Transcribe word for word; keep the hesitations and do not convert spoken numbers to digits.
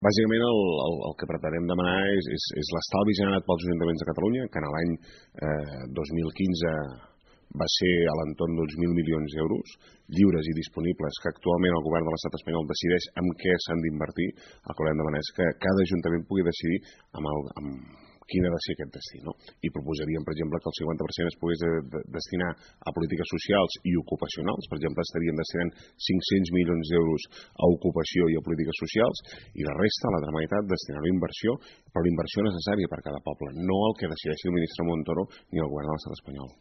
Bàsicament el, el, el que pretenem demanar és, és, és l'estalvi generat pels ajuntaments de Catalunya, que en l'any eh, dos mil quinze va ser a l'entorn d'uns mil milions d'euros, lliures i disponibles, que actualment el govern de l'estat espanyol decideix en què s'han d'invertir. El que volem demanar és que cada ajuntament pugui decidir amb, el, amb quin ha de ser aquest destí, no? I proposaríem, per exemple, que el cinquanta per cent es pogués de, de, destinar a polítiques socials i ocupacionals. Per exemple, estaríem destinant cinc-cents milions d'euros a ocupació i a polítiques socials, i la resta, la altra meitat, destinar-ho a inversió, però la inversió necessària per cada poble, no el que decideixi el ministre Montoro ni el govern de l'estat espanyol.